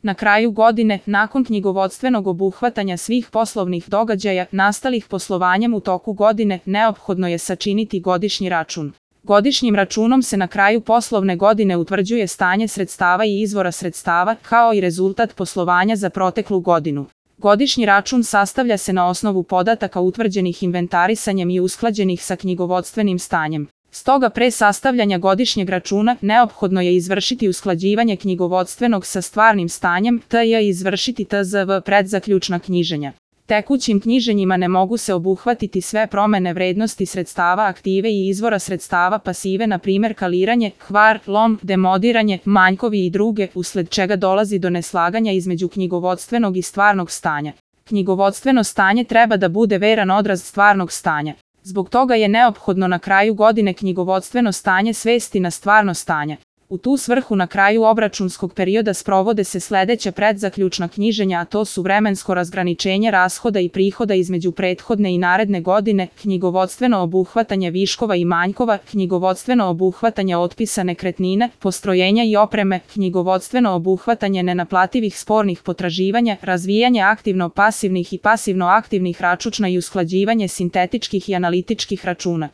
Na kraju godine, nakon knjigovodstvenog obuhvatanja svih poslovnih događaja nastalih poslovanjem u toku godine, neophodno je sačiniti godišnji račun. Godišnjim računom se na kraju poslovne godine utvrđuje stanje sredstava i izvora sredstava, kao i rezultat poslovanja za proteklu godinu. Godišnji račun sastavlja se na osnovu podataka utvrđenih inventarisanjem i usklađenih sa knjigovodstvenim stanjem. Stoga pre sastavljanja godišnjeg računa neophodno je izvršiti usklađivanje knjigovodstvenog sa stvarnim stanjem, te izvršiti TZV predzaključna knjiženja. Tekućim knjiženjima ne mogu se obuhvatiti sve promene vrednosti sredstava aktive i izvora sredstava pasive, na primjer kaliranje, kvar, lom, demodiranje, manjkovi i druge, usled čega dolazi do neslaganja između knjigovodstvenog i stvarnog stanja. Knjigovodstveno stanje treba da bude veran odraz stvarnog stanja. Zbog toga je neophodno na kraju godine knjigovodstveno stanje svesti na stvarno stanje. U tu svrhu na kraju obračunskog perioda sprovode se sledeća predzaključna knjiženja, a to su vremensko razgraničenje rashoda i prihoda između prethodne i naredne godine, knjigovodstveno obuhvatanje viškova i manjkova, knjigovodstveno obuhvatanje otpisa nekretnine, postrojenja i opreme, knjigovodstveno obuhvatanje nenaplativih spornih potraživanja, razvijanje aktivno-pasivnih i pasivno-aktivnih računa i usklađivanje sintetičkih i analitičkih računa.